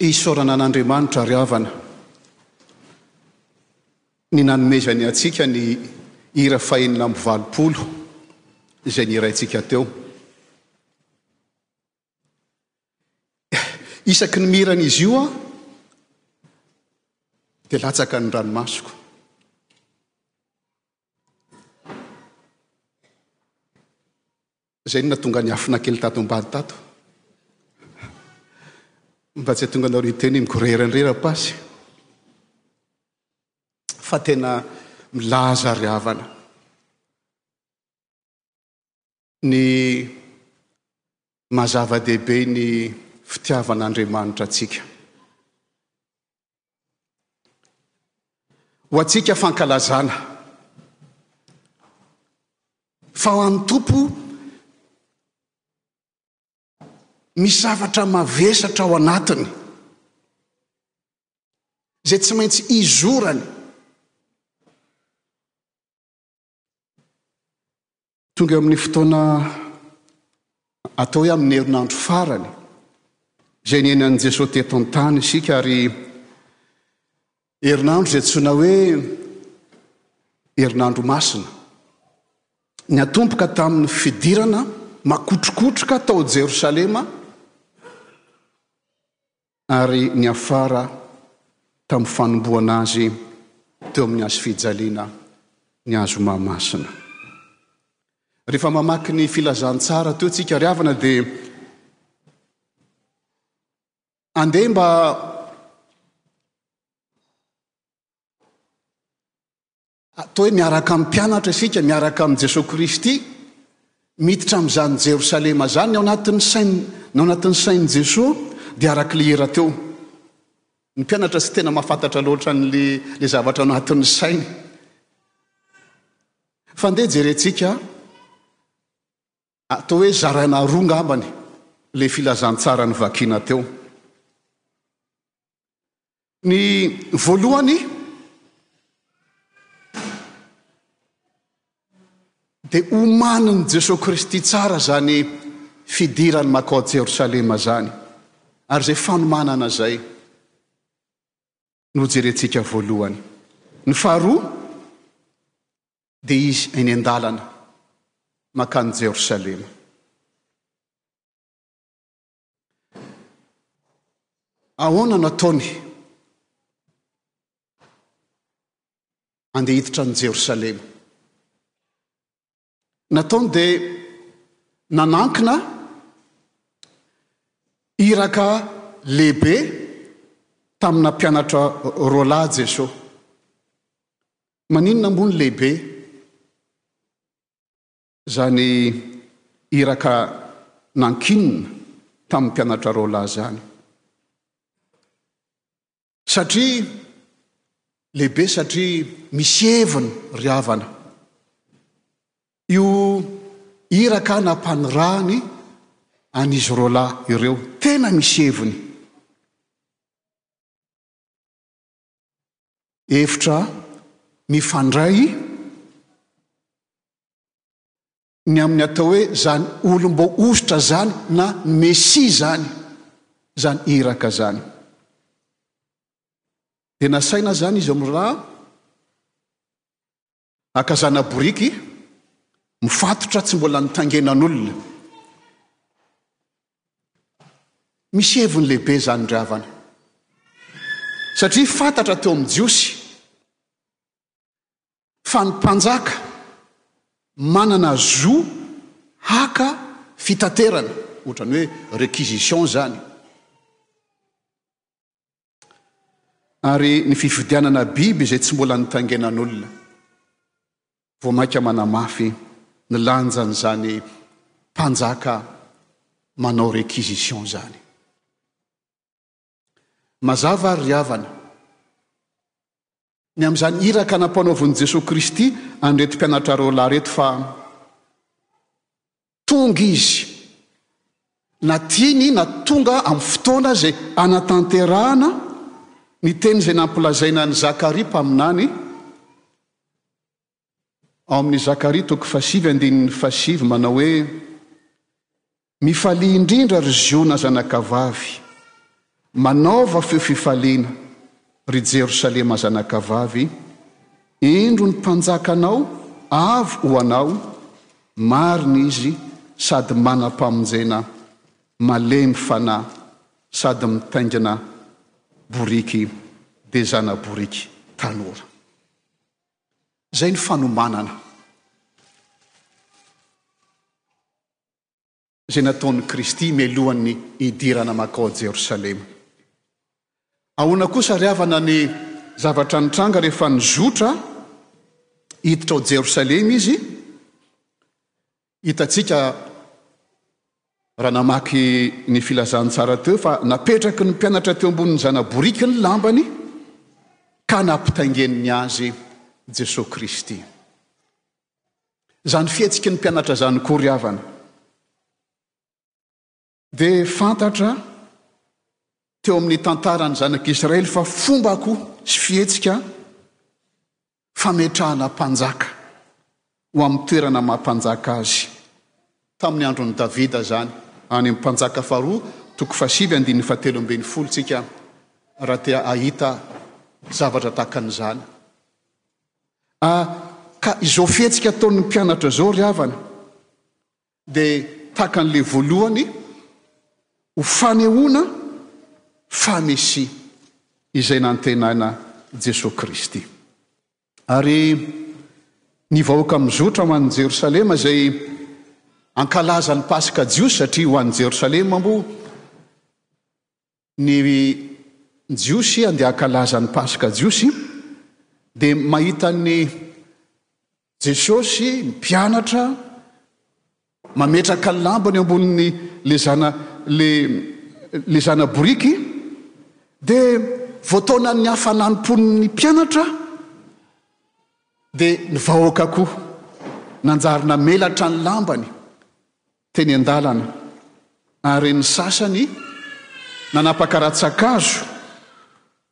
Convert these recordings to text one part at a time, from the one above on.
Isaorana an'Andriamanitra ry havana ny nanomezany antsika ny hira fahenina amby 80 izay nihiraintsika teo. Isaky ny mihira an'izy io aho dia latsaka ny ranomasoko. Izay no nahatonga ny afona kely tato ambany tato. Mba tsy hahatonga anareo hiteny hoe migorera indray rapasy. Fa tena milaza ry havana. Ny maha zava-dehibe ny fitiavan'Andriamanitra antsika. Ho antsika fankalazana. Fa ho an'ny Tompo, misy zavatra mavesatra ao anatiny, izay tsy maintsy izorany. Tonga eo amin'ny fotoana atao hoe amin'ny herinandro farany izay niainan'i Jesoa teto an-tany isika ary herinandro izay antsoina hoe herinandro masina. Niatomboka tamin'ny fidirana makotrokotroka tao Jerosalema ary niafara tamin'ny fanombohana azy teo amin'ny hazo fijaliana ny hazo Mahamasina. Rehefa mamaky ny filazantsara teo tsika ry havana dia andeha mba Atao hoe miaraka amin'ny mpianatra isika, miaraka amin'i Jesoa Kristy, miditra amin'izany Jerosalema izany, ny ao anatin'ny sain, ny ao anatin'ny sain'i Jesoa dia araka ilay hira teo. Ny mpianatra tsy tena mahafantatra loatra an'ilay ilay zavatra ao anatin'ny sainy. Fa andeha jerentsika, atao hoe zaraina roa ngambany ilay filazantsara novakiana teo. Ny voalohany dia omanin'i Jesoa Kristy tsara izany fidirany makao Jerosalema izany, ary izay fanomanana izay no hojerentsika voalohany. Ny faharoa dia izy eny an-dalana mankany Jerosalema. Ahoana no ataony andeha hiditra an'i Jerosalema? Nataony dia nanankina iraka lehibe tamina mpianatra roalahy Jesosy. Maninona moa ny lehibe? Izany iraka nankinina tamin'ny mpianatra roalahy izany. Satria lehibe satria misy heviny ry havana. Io iraka nampanirahany an'izy roalahy ireo, tena misy heviny. Hevitra mifandray ny amin'ny atao hoe izany olom-boahosotra izany na ny Mesia izany, izany iraka izany. Dia nasaina izany izy amin'ireo haka zana-boriky mifatotra tsy mbola nitaingenan'olona. Misy heviny lehibe izany ry havana. Satria fantatra teo amin'ny Jiosy fa ny mpanjaka manana zo haka fitaterana, ohatran'ny hoe réquisition izany. Ary ny fividianana biby izay tsy mbola nitaingenan'olona. Vao mainka manamafy ny lanjan'izany mpanjaka manao réquisition izany. Mazava ary ry havana, ny amin'izany iraka nampanaovin'i Jesoa Kristy an'ireto mpianatra roalahy ireto fa Tonga izy, na tiany na tonga amin'ny fotoana izay hanatanterahana ny teny izay nampilazaina an'i Zakaria mpaminany, ao amin'ny Zakaria toko fahasivy andininy fahasivy manao hoe, Mifalia indrindra ry Ziona zanakavavy, Manaova feo fifaliana, ry Jerosalema zanakavavy, indro ny mpanjakanao avy ho anao, marina izy sady manam-pamonjena, malemy fanahy sady mitaingina boriky dia zana-boriky tanora. Izay ny fanomanana. Izay nataon'i Kristy mialohan'ny hidirana mankao Jerosalema. Ahoana kosa ry havana ny zavatra nitranga rehefa nizotra hiditra ao Jerosalema izy? Hitantsika raha namaky ny filazantsara teo fa napetraky ny mpianatra teo ambonin'ny zana-boriky ny lambany ka nampitaingeniny azy Jesoa Kristy. Izany fihetsiky ny mpianatra izany koa ry havana dia fantatra teo amin'ny tantaran'ny zanak'Israely fa fomba koa sy fihetsika fametrahana mpanjaka ho amin'ny toerana maha mpanjaka azy. Tamin'ny andron'i Davida izany, any amin'ny Mpanjaka faharoa toko fahasivy andininy fahatelo ambin'ny folo tsika raha te hahita zavatra tahaka an'izany. A Ka izao fihetsika ataon'ny mpianatra izao ry havana dia tahaka an'ilay voalohany ho fanehoana fa Mesia izay nantenaina Jesoa Kristy. Ary ny vahoaka mizotra ho any Jerosalema izay hankalaza ny Paska Jiosy satria ho any Jerosalema moa Ny Jiosy handeha hankalaza ny Paska Jiosy dia mahita an'i Jesosy, ny mpianatra, mametraka ny lambany eo ambonin'ny le zana le le zana-boriky dia voataonan'ny hafanam-pon'ny mpianatra dia ny vahoaka koa nanjary namelatra ny lambany teny an-dalana, ary ny sasany nanapaka rantsan-kazo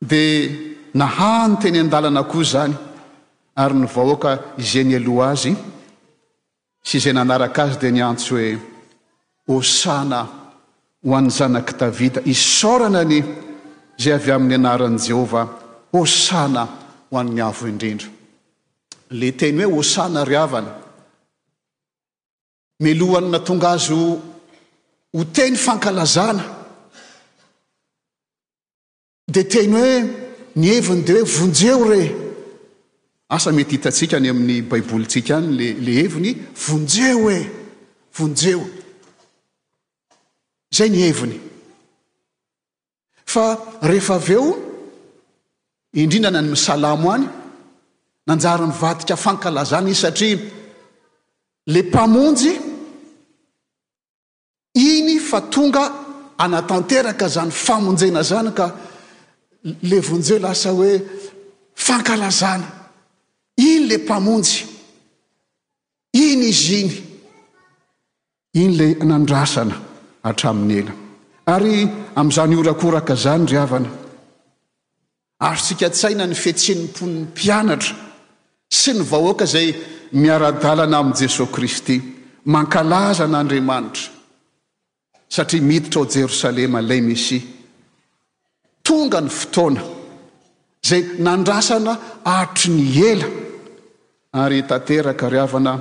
dia nahahany teny an-dalana koa izany, ary ny vahoaka izay nialoha azy sy izay nanaraka azy dia niantso hoe, Hosana ho an'ny Zanak'i Davida, isaorana anie izay avy amin'ny anaran'i Jehovah, Hosana ho an'ny Avo Indrindra. Ilay teny hoe Hosana ry havana, Melohan'ny nahatonga azy ho ho teny fankalazana dia teny hoe ny heviny dia hoe vonjeo re. Asa mety hitantsika any amin'ny baibolintsika any le le heviny vonjeo e, vonjeo. Izay ny heviny. Fa rehefa avy eo, indrindra ny any Salamo any, nanjary nivadika fankalazana izy satria le Mpamonjy iny fa tonga hanatanteraka izany famonjena izany ka le vonjeo lasa hoe fankalazana. Iny le Mpamonjy, iny izy iny. Iny ilay nandrasana hatramin'ny ela. Ary amin'izany horakoraka izany, ry havana, azontsika an-tsaina ny fihetsen'ny mponin'ny mpianatra sy ny vahoaka izay miara-dalana amin'i Jesoa Kristy, mankalaza an'Andriamanitra, satria miditra ao Jerosalema ilay Mesia. Tonga ny fotoana izay nandrasana hatry ny ela, ary tanteraka, ry havana,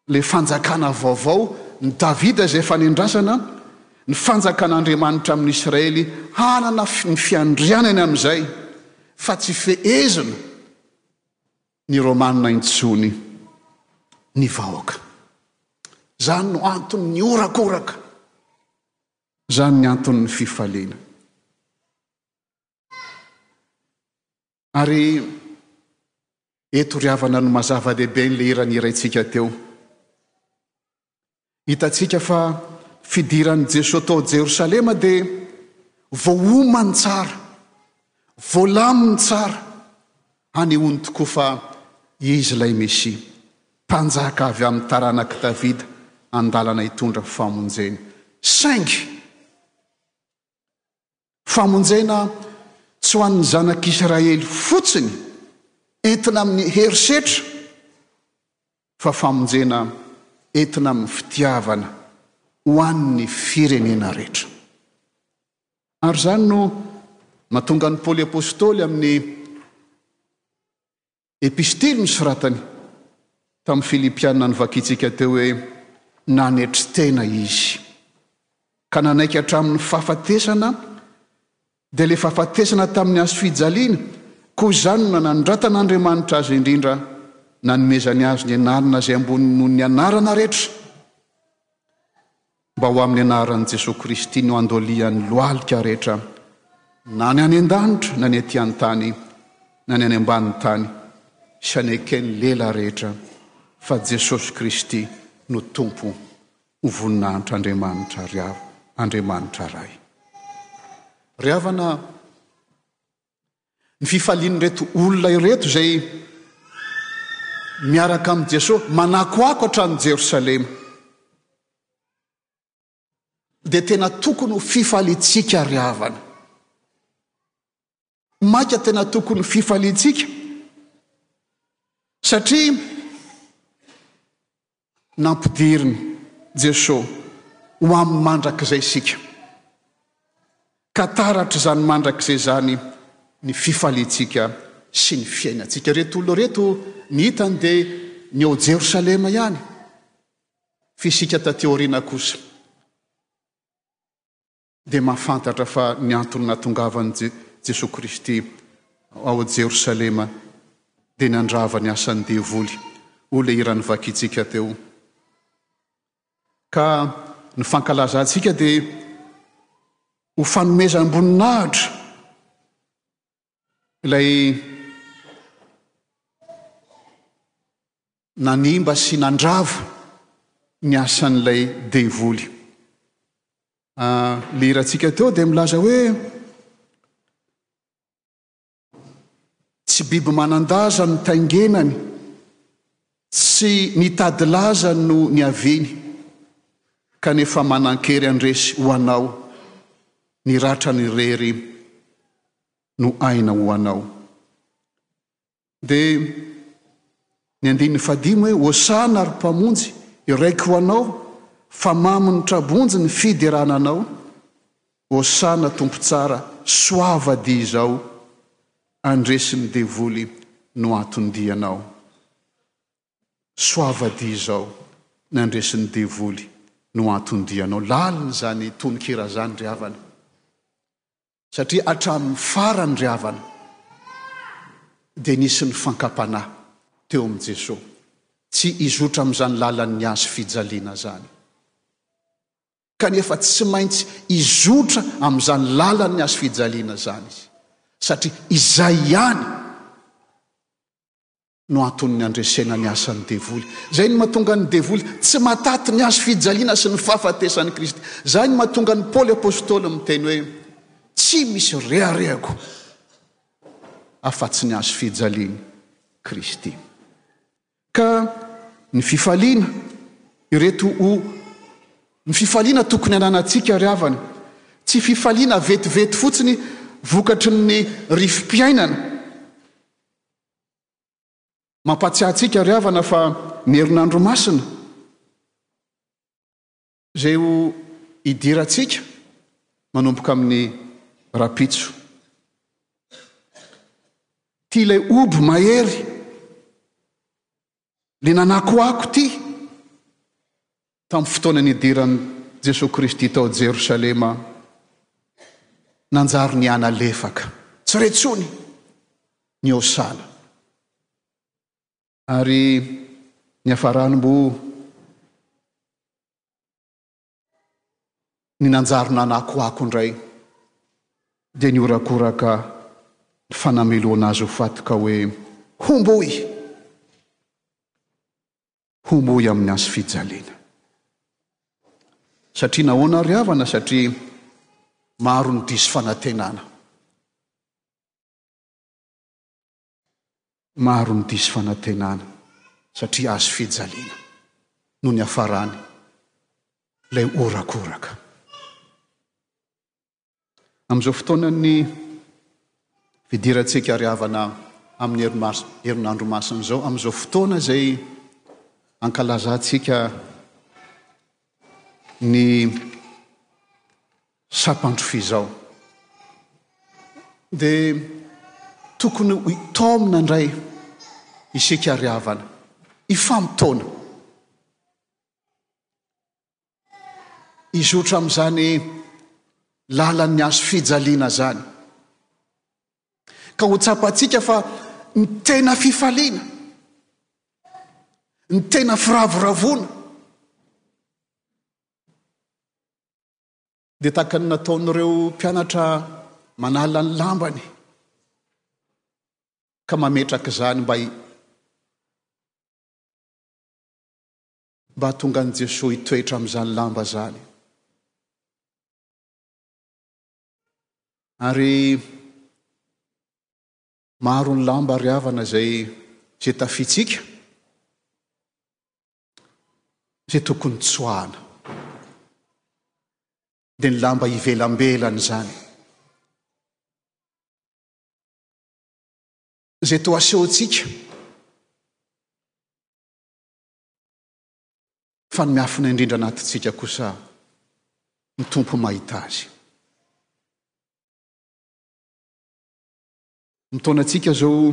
Ilay fanjakana vaovao, ny Davida izay efa nendrasana, ny fanjakan'Andriamanitra amin'i Israely hanana ny fiandrianany amin'izay fa tsy fehezina ny Romana intsony ny vahoaka. Izany no anton'ny horakoraka. Izany ny anton'ny fifaliana. Ary eto ry havana no maha-zava-dehibe an'ilay hira nihiraintsika teo. Hitantsika fa fidiran'i Jesoa tao Jerosalema dia voaomany tsara, voalaminy tsara, hanehoany tokoa fa Izy ilay Mesia, Mpanjaka avy amin'ny taranak'i Davida, an-dalana hitondra famonjena. Saingy, Famonjena tsy ho an'ny zanak'Israely fotsiny entina amin'ny herisetra fa famonjena entina amin'ny fitiavana ho an'ny firenena rehetra. Ary izany no mahatonga an'i Paoly Apostoly amin'ny epistily nosoratany tamin'ny Filipiana novakintsika teo hoe nanetry tena izy ka nanaiky hatramin'ny fahafatesana dia ilay fahafatesana tamin'ny hazo fijaliana, koa izany no nanandratan'Andriamanitra azy indrindra nanomezany azy ny anarana izay ambony noho ny anarana rehetra. Mba ho amin'ny anaran'i Jesoa Kristy no handolian'ny lohalika rehetra, na ny any an-danitra, na ny aty an-tany, na ny any ambanin'ny tany, sy haneken'ny lela rehetra fa Jesosy Kristy no Tompo ho voninahitr'Andriamanitra Andriamanitra Ray. Ry havana, ny fifalian'ireto olona ireto izay miaraka amin'i Jesosy manakoako hatrany Jerosalema dia tena tokony ho fifaliantsika ry havana. Maika tena tokony ho fifaliantsika satria Nampidirin'i Jesoa ho amin'ny mandrakizay isika, ka taratr'izany mandrakizay izany ny fifaliantsika sy ny fiainantsika. Ireto olona ireto, ny hitany dia ny ao Jerosalema ihany, fa isika taty aoriana kosa dia mahafantatra fa ny antony nahatongavan'i Jesoa Kristy ao Jerosalema dia ny handrava ny asan'ny devoly, hoy ilay hira novakintsika teo. Ka ny fankalazantsika dia ho fanomezam-boninahitra ilay nanimba sy nandrava ny asan'ilay devoly. Ilay hirantsika teo dia milaza hoe tsy biby manan-daza no taingenany, tsy nitady laza no niaviany, kanefa manan-kery handresy ho anao, ny ratrany irery no aina ho anao. Dia ny andininy fahadimy hoe, Hosana ry Mpamonjy, iraiko ho Anao, fa mamy ny tra-bonjy ny fiderana Anao, Hosana Tompo tsara, soava dia izao, handresy ny devoly no anton-dianao. Soava dia izao, ny handresy ny devoly no anton-dianao. Lalina izany tononkira izany ry havana. Satria hatramin'ny farany ry havana dia nisy ny fankam-panahy teo amin'i Jesoa tsy hizotra amin'izany lalan'ny hazo fijaliana izany. Kanefa tsy maintsy hizotra amin'izany lalan'ny hazo fijaliana izany izy satria izay ihany no anton'ny handresena ny asan'ny devoly. Izay no mahatonga ny devoly tsy mahataty ny hazo fijaliana sy ny fahafatesan'i Kristy. Izay no mahatonga an'i Paoly Apostoly miteny hoe, Tsy misy reharehako afa-tsy ny hazo fijalian'i Kristy. Ka ny fifaliana, ireto ho ny fifaliana tokony hananantsika ry havana, tsy fifaliana vetivety fotsiny vokatry ny rivo-piainana, Mampahatsiahy antsika ry havana fa ny herinandro masina izay ho idirantsika manomboka amin'ny rahampitso. Ity ilay hoby mahery, ilay nanakoako ity Tamin'ny fotoana nidiran'i Jesoa Kristy tao Jerosalema, nanjary nihanalefaka, tsy re intsony ny Hosana. Ary niafarany mbo ny nanjary nanakoako indray, dia nihorakoraka ny fanamelohana azy ho faty ka hoe, Homboy! Homboy amin'ny hazo fijaliana. Satria nahoana ry havana? Satria maro ny diso fanantenana. Maro ny diso fanantenana satria hazo fijaliana no niafarany ilay horakoraka. Amin'izao fotoanan'ny fidirantsika ry havana amin'ny herinandro masina izao, amin'izao fotoana izay ankalazantsika ny sampandrofia izao. Dia tokony ho taomina indray isika ry havana, hifamotoana. Hizotra amin'izany lalan'ny hazo fijaliana izany. Ka ho tsapantsika fa ny tena fifaliana, ny tena firavoravoana, Dia tahaka ny nataon'ireo mpianatra manala ny lambany ka mametraka izany mba mba hahatonga an'i Jesoa hitoetra amin'izany lamba izany. Ary maro ny lamba ry havana izay izay tafintsika. Izay tokony tsoahana. Dia ny lamba ivelambelany izany. Izay toa asehontsika fa ny miafina indrindra anatintsika kosa ny Tompo mahita azy. Mitaona antsika izao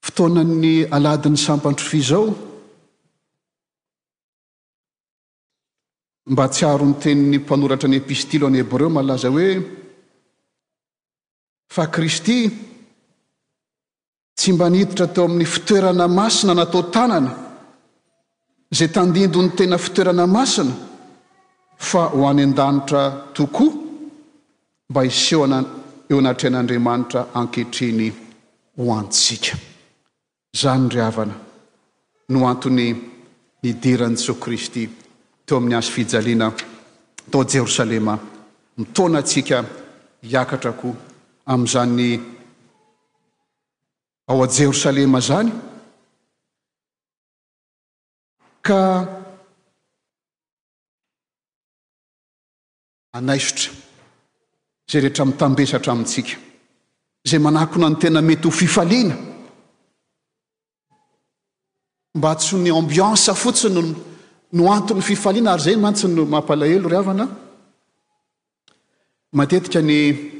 fotoanan'ny alahadin'ny sampan-trofia izao mba hahatsiaro ny tenin'ny mpanoratra ny epistily ho an'ny Hebreo malaza hoe fa Kristy Tsy mba niditra teo amin'ny fitoerana masina natao tanana, izay tandindon'ny tena fitoerana masina, fa ho any an-danitra tokoa, mba hisehoana eo anatrehan'Andriamanitra ankehitriny ho antsika. Izany, ry havana, no antony nidiran'i Jesoa Kristy teo amin'ny hazo fijaliana tao Jerosalema, mitaona antsika hiakatra koa amin'izany ao a Jerosalema izany, ka hanaisotra izay rehetra mitambesatra amintsika, izay manakona ny tena mety ho fifaliana, mba tsy ho ny ambiance fotsiny no no anton'ny fifaliana, ary izay mantsy no mampalahelo ry havana, matetika ny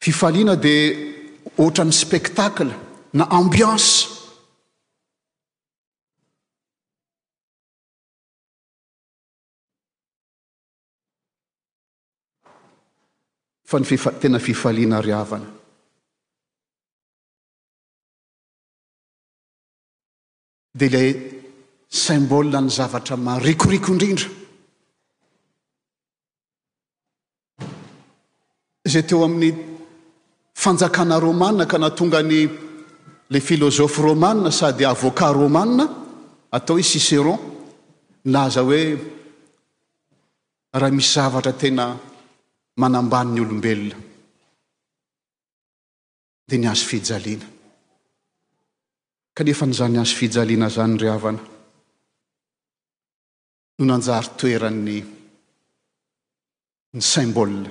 Fifaliana dia ohatran'ny spectacle na ambiance. Fa ny tena fifaliana ry havana. Dia ilay symbole ny zavatra marikoriko indrindra. Izay teo amin'ny fanjakana romana ka nahatonga ny le philosophe romana sady avocat romana atao hoe Cicéron nilaza hoe raha misy zavatra tena manambany ny olombelona dia ny hazo fijaliana. Kanefa an'izany hazo fijaliana izany ry havana no nanjary toeran'ny ny symbole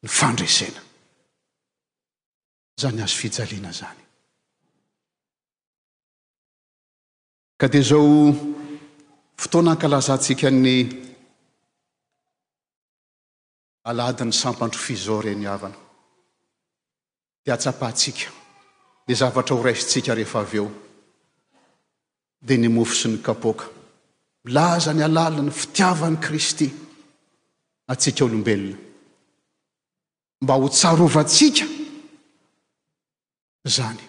ny fandresena. Izany hazo fijaliana izany. Ka dia izao fotoana ankalazantsika ny alahadin'ny sampan-trofia izao re ny havana dia hatsapantsika ny zavatra ho raisintsika rehefa avy eo dia ny mofo sy ny kapoaka milaza ny halalin'ny fitiavan'i Kristy antsika olombelona mba ho tsarovantsika izany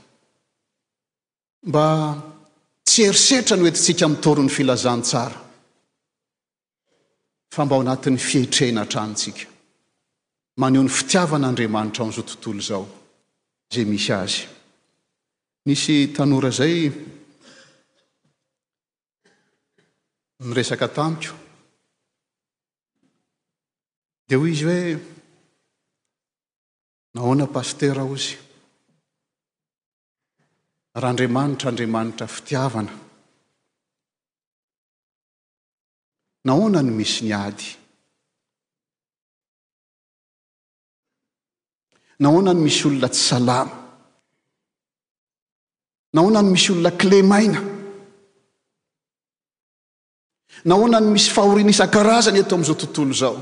mba tsy herisetra no entintsika mitory ny filazantsara fa mba ao anatin'ny fietrena hatrany tsika maneho ny fitiavan'Andriamanitra ao amin'izao tontolo izao izay misy azy. Nisy tanora izay niresaka tamiko dia hoy izy hoe nahoana pasitera hozy raha Andriamanitra Andriamanitra fitiavana Nahoana no misy ny ady? Nahoana no misy olona tsy salama? Nahoana no misy olona kilemaina? Nahoana no misy fahoriana isan-karazany eto amin'izao tontolo izao?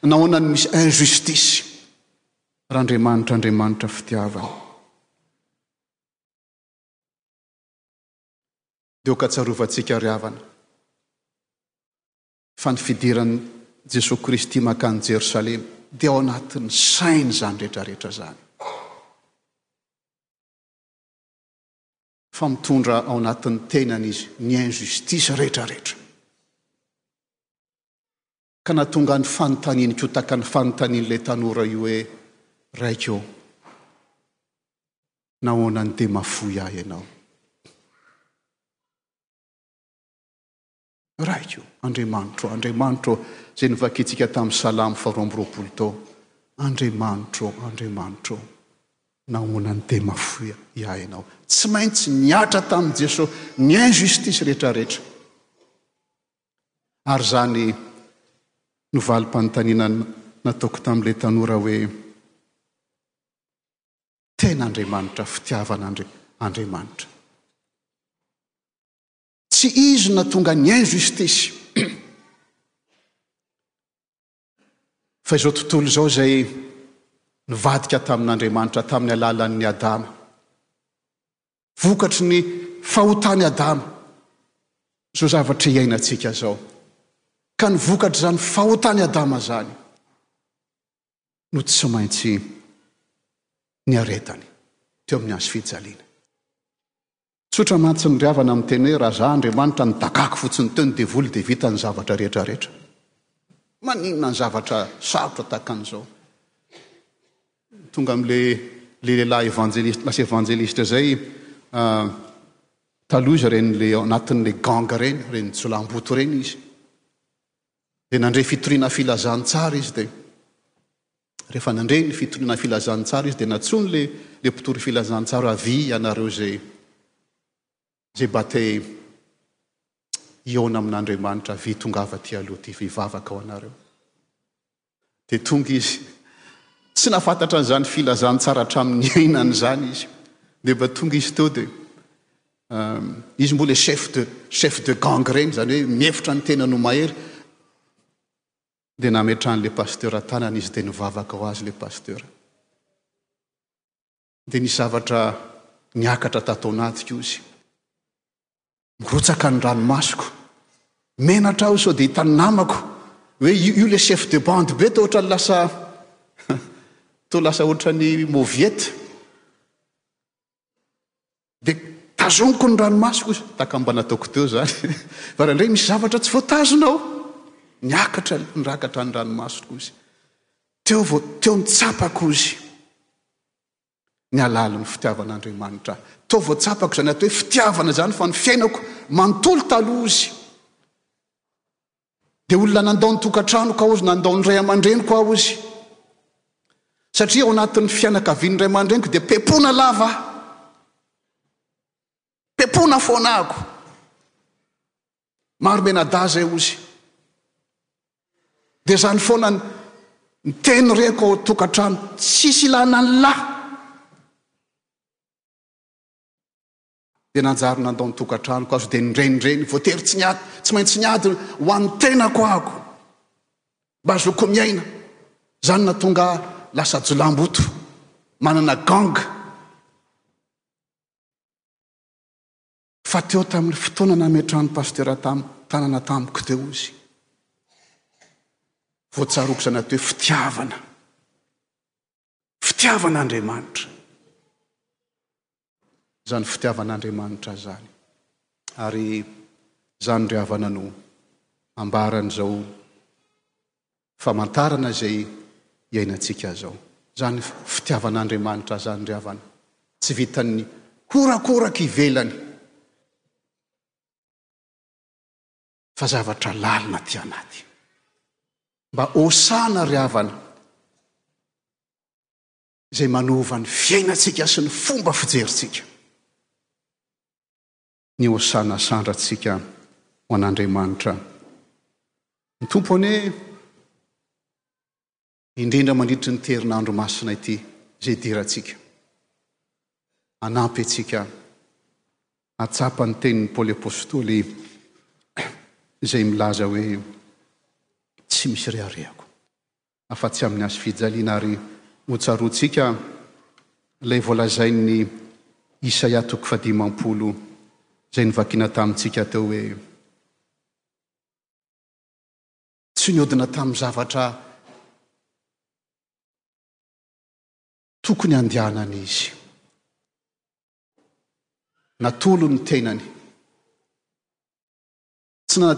Nahoana no misy injustice? Raha Andriamanitra Andriamanitra fitiavana. Dia aoka tsarovantsika ry havana fa ny fidiran'i Jesoa Kristy mankany Jerosalema dia ao anatin'ny sainy izany rehetra rehetra izany. Fa mitondra ao anatin'ny tenany izy ny injustice rehetra rehetra. Ka nahatonga ny fanontaniany koa tahaka ny fanontanian'ilay tanora io hoe, Raiko ô, nahoana no dia mahafoy ahy ianao? Raiko, Andriamanitro, Andriamanitro, izay novakintsika tamin'ny Salamo faharoa amby roapolo tao, Andriamanitro, Andriamanitro, nahoana no dia mahafoy ahy ianao? Tsy maintsy nihatra tamin'i Jesosy ny injustice rehetra rehetra. Ary izany no valim-panontaniana nataoko tamin'ilay tanora hoe, Tena Andriamanitra fitiavana Andriamanitra. Tsy Izy no nahatonga ny injustice. Fa izao tontolo izao izay nivadika tamin'Andriamanitra tamin'ny alalan'ny Adama. Vokatry ny fahotan'i Adama izao zavatra iainantsika izao. Ka ny vokatr'izany fahotan'i Adama izany no tsy maintsy niaretany teo amin'ny hazo fijaliana. Tsotra mantsy ny ry havana miteny hoe raha za Andriamanitra nidakako fotsiny teo ny devoly dia vita ny zavatra rehetra rehetra. Maninona ny zavatra sarotra tahaka an'izao? Tonga amin'le le lehilahy evanjelista lasa evanjelista zay taloha izy ireny le ao anatin'le gang ireny, ireny jiolahimboto ireny izy. Dia nandre fitoriana filazantsara izy dia rehefa nandre ny fitoriana filazantsara izy dia nantsoiny le le mpitory filazantsara avia ianareo izay izay mba te hihaona amin'Andriamanitra avia tongava aty aloha aty fa hivavaka ho anareo. Dia tonga izy. Tsy nahafantatra an'izany filazantsara hatramin'ny niainany izany izy. Dia mba tonga izy teo dia izy mbola chef de chef de gang ireny, izany hoe mihevitra ny tenany ho mahery. Dia nametrahan'ilay pasteur tanana izy dia nivavaka ho azy ilay pasteur. Dia nisy zavatra niakatra tato anatiko izy. Mirotsaka ny ranomasoko. Menatra aho sao dia hitan'ny namako hoe io io le chef de bande be toa ohatran'ny lasa toa lasa ohatran'ny mauviette. Dia tazoniko ny ranomasoko izy. Tahaka mba nataoko teo izany. Fa indraindray misy zavatra tsy voatazona ao. Niakatra, nirakatra ny ranomasoko izy. Teo vao teo ny tsapako izy. Ny halalin'ny fitiavan'Andriamanitra ahy. Teo vao tsapako izany atao hoe fitiavana izany fa ny fiainako manontolo taloha izy. Dia olona nandao ny tokantranoko aho izy, nandao ny ray aman-dreniko aho izy. Satria ao anatin'ny fianakavian'ny ray aman-dreniko dia pepona lava aho. Pepona foana ako. Maro mianadahy izay ozy. Dia izany foana ny teny reko ao tokantrano, tsisy ilana ny lahy. Dia nanjary nandao ny tokantranoko aho, dia nirenireny, voatery tsy niady, tsy maintsy niady ho an'ny tenako aho. Mba azoko miaina. Izany nahatonga ahy lasa jiolahimboto, manana gang. Fa teo tamin'ny fotoana nametrahan'ny pasitera tam tanana tamiko teo izy, vao tsaroako izany atao hoe fitiavana. Fitiavan'Andriamanitra. Izany fitiavan'Andriamanitra izany. Ary izany ry havana no ambaran'izao famantarana izay iainantsika izao. Izany fitiavan'Andriamanitra izany ry havana, tsy vitan'ny horakoraka ivelany, fa zavatra lalina aty anaty. Mba hosana ry havana, izay manova ny fiainantsika sy ny fomba fijerintsika. Ny hosana asandratsika ho an'Andriamanitra. Ny Tompo anie, indrindra mandritry ny herinandro masina ity izay idirantsika, hanampy antsika hahatsapa ny tenin'i Paoly Apostoly izay milaza hoe, Tsy misy reharehako. afa-tsy amin'ny hazo fijaliana ary hotsaroantsika ilay voalazain'ny Isaia toko fahadimampolo izay novakiana tamintsika teo hoe tsy niodina tamin'ny zavatra tokony handehanana izy. Natolony ny tenany. Tsy na,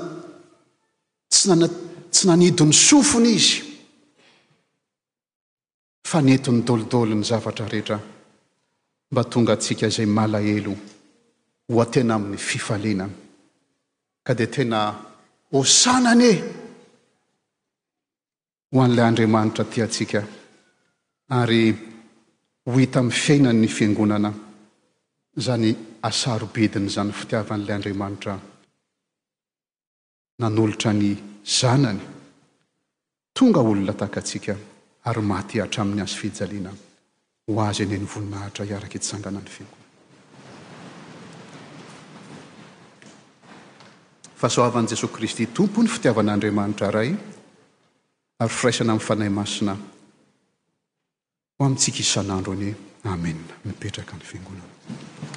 tsy nana, tsy nanidy ny sofiny izy, fa nentiny dolidoly ny zavatra rehetra mba tonga antsika izay malahelo ho atena amin'ny fifaliana. Ka dia tena hosana anie ho an'ilay Andriamanitra tia antsika ary ho hita amin'ny fiainan'ny Fiangonana izany hasarobidiny izany fitiavan'ilay Andriamanitra nanolotra ny Zanany tonga olona tahaka antsika ary maty hatramin'ny hazofijaliana ho Azy anie ny voninahitra hiaraka hitsangana ny Fiangonana. Fahasoavan'i Jesoa Kristy Tompo, ny fitiavan'Andriamanitra Ray, ary firaisana amin'ny Fanahy Masina ho amintsika isan'andro anie. Amena. Mipetraka ny Fiangonana.